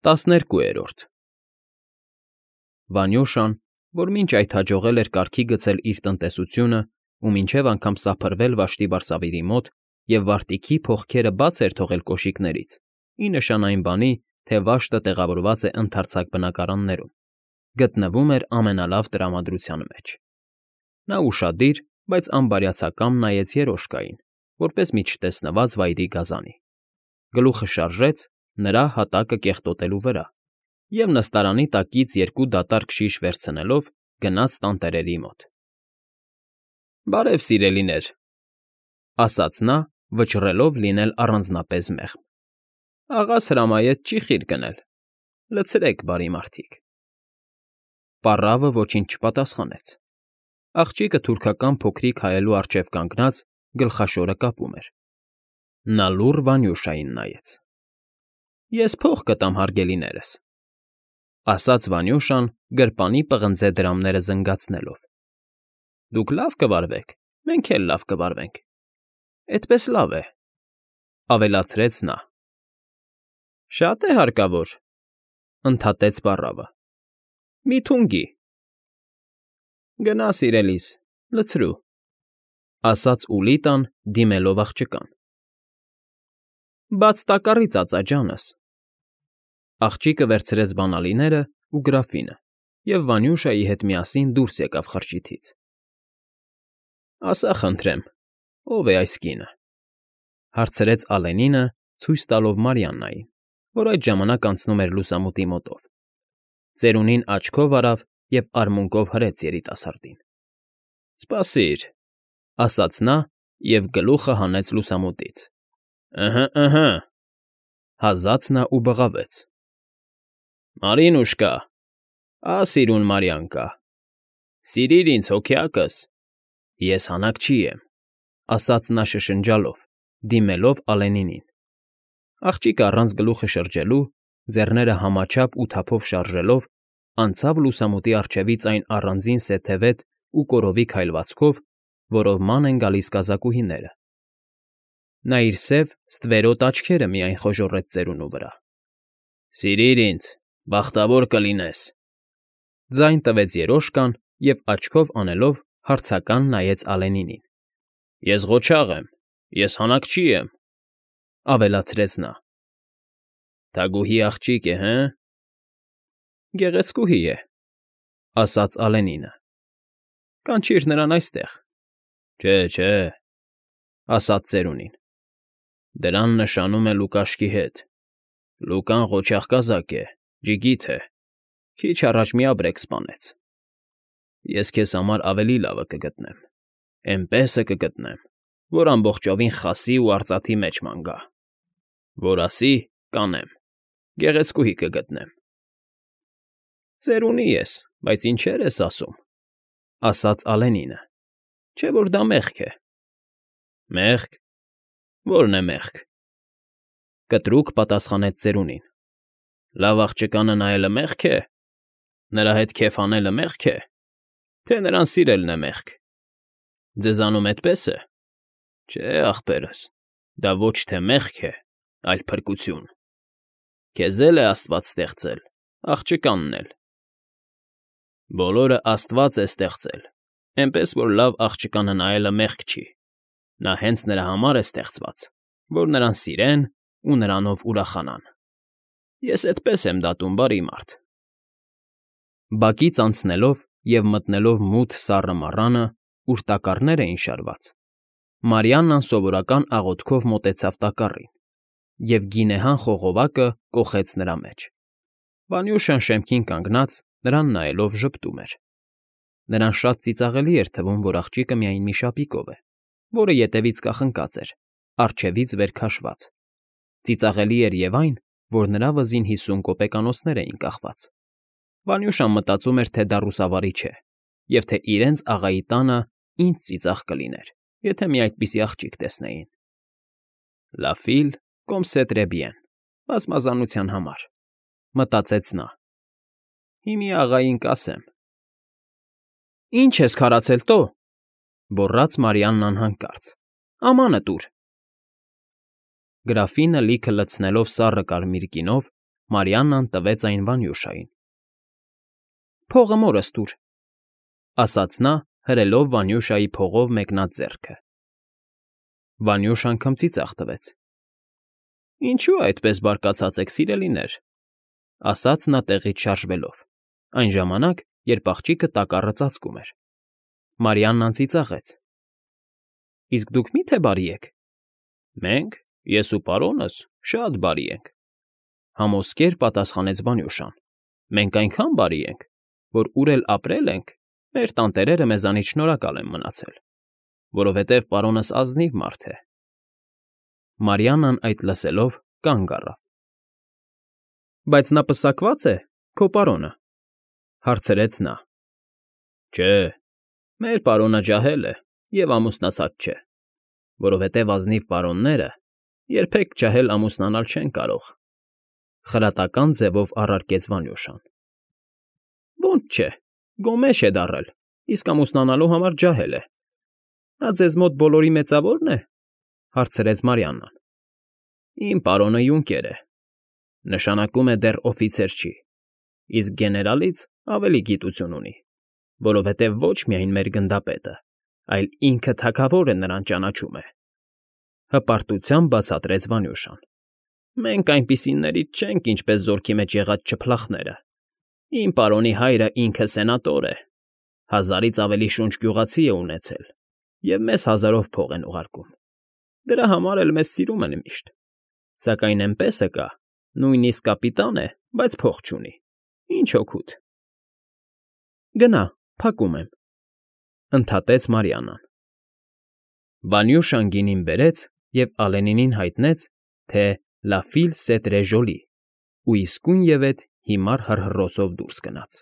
12 Վանյուշան, որ մինչ այդ հաջողել էր կարգի գցել իր տնտեսությունը ու մինչև անգամ սափրվել վաշտի բարսավիրի մոտ և վարտիքի փողքերը բաց էր թողել կոշիկներից, ի նշան այն բանի, թե վաշտը տեղավորված է ընդարձակ բնակարաններում, գտնվում էր ամենալավ տրամադրության մեջ։ Նա ուշադիր, բայց անբարյացակամ նայեց երոշկային, որպես մի չտեսնված վայրի գազանի, գլուխը շարժեց նրա հատակը կեղտոտելու վրա և նստարանի տակից 2 դատարկ շիշ վերցնելով գնաց տանտերերի մոտ։ ֊ Բարև, սիրելիներ, ֊ ասաց նա, վճռելով լինել առանձնապես մեղմ։ ֊ Աղաս հրամայեց չի խիր գնել, լցրեք, բարի մարդիկ։ Պառավը ոչինչ չպատասխանեց։ Աղջիկը թուրքական փոքրիկ հայելու առջև կանգնած գլխաշորը կապում էր։ Նա լուռ Վանյուշային նայեց։ ֊ Ես փող կտամ, հարգելիներս, ֊ ասաց Վանյուշան գրպանի պղնձե դրամները զնգացնելով։ ֊ Դուք լավ կվարվեք, մենք էլ լավ կվարվենք։ Էդպես լավ է, ֊ ավելացրեց նա։ ֊ Շա՞տ է հարկավոր, ֊ ընդհատեց պառավը։ ֊ Մի թունգի։ ֊ Գնա, սիրելիս, լցրու, ֊ ասաց Ուլիտան, դիմելով աղջկան։ ֊ Բաց տակառից ածա, ջանս։ Աղջիկը վերցրեց բանալիներն ու գրաֆինը և Վանյուշայի հետ միասին դուրս եկավ խրճիթից։ ֊ Ասա խնդրեմ, ո՞վ է այս կինը, ֊ հարցրեց Ալենինը, ցույց տալով Մարիաննային, որ այդ ժամանակ անցնում էր լուսամուտի մոտով։ Ծերունին աչքով արավ և արմունկով հրեց երիտասարդին։ ֊ Սպասիր, ֊ ասաց նա և գլուխը հանեց լուսամուտից։ ըհը, հազաց նա ու բղավեց։ ֊ Մարինուշկա, սիրուն Մարիանկա, սիրիր ինձ, հոգյակս, ես հանակչի եմ, ֊ ասաց նա շշնջալով, դիմելով Ալենինին։ Աղջիկը առանց գլուխը շրջելու, ձեռները համաչափ ու թափով շարժելով, անցավ լուսամուտի առջևից այն առանձին սեթևետ ու կորովի քայլվածքով, որով ման են գալիս կազակուհիները։ Նա իր սև, ստվերոտ աչքերը միայն խոժոռեց ծերունու վրա։ ֊ Սիրիր ինձ, բախտավոր կլինես, ֊ ձայն տվեց երոշկան և աչքով անելով հարցական նայեց Ալենինին։ ֊ Ես ղոչաղ եմ, ես հանակչի եմ, ֊ ավելացրեց նա։ ֊ Թագուհի աղջիկ է, հը՞։ ֊ Գեղեցկուհի է, ֊ ասաց Ալենինը։ ֊ Կանչիր նրան այստեղ։ ֊ Չէ, ֊ ասաց ծերունին։ ֊ Դրան նշանում է Լուկաշկի հետ։ Լուկան ղոչաղ կազակ է, ջիգիթ է, քիչ առաջ մի ապրեք սպանեց։ Ես քեզ համար ավելի լավը կգտնեմ, էնպեսը կգտնեմ, որ ամբողջովին խասի ու արծաթի մեջ ման գա։ Որ ասի՝ կանեմ, գեղեցկուհի կգտնեմ։ ֊ Ծերունի ես, բայց ինչեր ես ասում, ֊ ասաց Ալենինը, ֊ չէ՞ որ դա մեղք է։ ֊ Մեղք, ո՞րն է մեղք, ֊ կտրուկ պատասխանեց ծերունին։ ֊ Լավ աղջկանը նայելը մեղք է։ Նրա հետ քեֆ անելը մեղք է, թե նրան սիրելն է մեղք։ Ձեզանում էդպես է։ Չէ, ախպերս, դա ոչ թե մեղք է, այլ փրկություն։ Քեզ էլ է Աստված ստեղծել, աղջկանն էլ։ Բոլորը Աստված է ստեղծել, էնպես որ լավ աղջկանը նայելը մեղք չի։ Նա հենց նրա համար է ստեղծված, որ նրան սիրեն ու նրանով ուրախանան։ Ես էդպես եմ դատում, բարի մարդ։ Բակից անցնելով և մտնելով մութ սառը մառանը, ուր տակառներ էին շարված, Մարիաննան սովորական աղոթքով մոտեցավ տակառին և գինեհան խողովակը կոխեց նրա մեջ։ Վանյուշան շեմքին կանգնած, նրան նայելով ժպտում էր։ Նրան շատ ծիծաղելի էր թվում, որ աղջիկը միայն մի շապիկով է, որը ետևից կախնկած էր, առջևից վեր քաշված։ Ծիծաղելի էր և այն, որ նրա վզին 50 կոպեկանոցներ էին կախված։ Վանյուշան մտածում էր, թե դա ռուսավարի չէ, և թե իրենց աղայի տանը ինչ ծիծաղ կլիներ, եթե մի այդպիսի աղջիկ տեսնեին։ «La fille comme c'est très bien», բազմազանության համար, ֊ մտածեց նա։ Հիմի աղային կասեմ։ ֊ Ի՞նչ ես քարացել, տո, ֊ գոռաց Մարիաննան հանկարծ։ ֊ Ամանը տուր։ Գրաֆինը լիքը լցնելով սառը կարմիր գինով, Մարիաննան տվեց այն Վանյուշային։ «Փողը մորս տուր», ֊ ասաց նա, հրելով Վանյուշայի փողով մեկնած ձեռքը։ Վանյուշան քմծիծաղ տվեց։ «Ինչո՞ւ այդպես բարկացած եք, սիրելիներ», ֊ ասաց նա տեղից շարժվելով, այն ժամանակ, երբ աղջիկը տակառը ծածկում էր։ Մարիաննան ծիծաղեց։ «Իսկ դուք մի՞թե բարի եք»։ «Մենք, ես ու պարոնս, շատ բարի ենք», ֊ համոզկեր պատասխանեց Վանյուշան։ «Մենք այնքան բարի ենք, որ ուր էլ ապրել ենք, մեր տանտերերը մեզանից շնորհակալ են մնացել, որովհետև պարոնս ազնիվ մարդ է»։ Մարիաննան այդ լսելով կանգ առավ։ «Բայց նա պսակվա՞ծ է, քո պարոնը», ֊ հարցրեց նա։ «Չէ, մեր պարոնը ջահել է և ամուսնացած չէ, որովհետև ազնիվ պարոնները երբեք ջահել ամուսնանալ չեն կարող», ֊ խրատական ձևով առարկեց Վանյուշան։ «Ոնց չէ, գոմեշ է դառել, իսկ ամուսնանալու համար ջահել է։ Նա ձեզ մոտ բոլորի մեծավո՞րն է», ֊ հարցրեց Մարիաննան։ «Իմ պարոնը յունկեր է, նշանակում է դեռ օֆիցեր չի, իսկ գեներալից ավելի գիտություն ունի, որովհետև ոչ միայն մեր գնդապետը, այլ ինքը թագավորը նրան ճանաչում է», ֊ հպարտությամբ բացատրեց Վանյուշան։ «Մենք այնպիսիներից չենք, ինչպես զորքի մեջ եղած չփլախները։ Իմ պարոնի հայրը ինքը սենատոր է, 1000-ից ավելի շունչ գյուղացի է ունեցել և մեզ 1000-ով փող են ուղարկում։ Դրա համար էլ մեզ սիրում են միշտ։ Սակայն էնպեսը կա, նույնիսկ կապիտան է, բայց փող չունի։ Ինչ օգուտ»։ «Գնա, փակում եմ», ֊ ընդհատեց Մարիաննան։ Վանյուշան գինին բերեց և Ալենինին հայտնեց, թե «La Fille c'est très jolie» ու իսկույնևեթ հիմար հռհռոցով դուրս գնաց։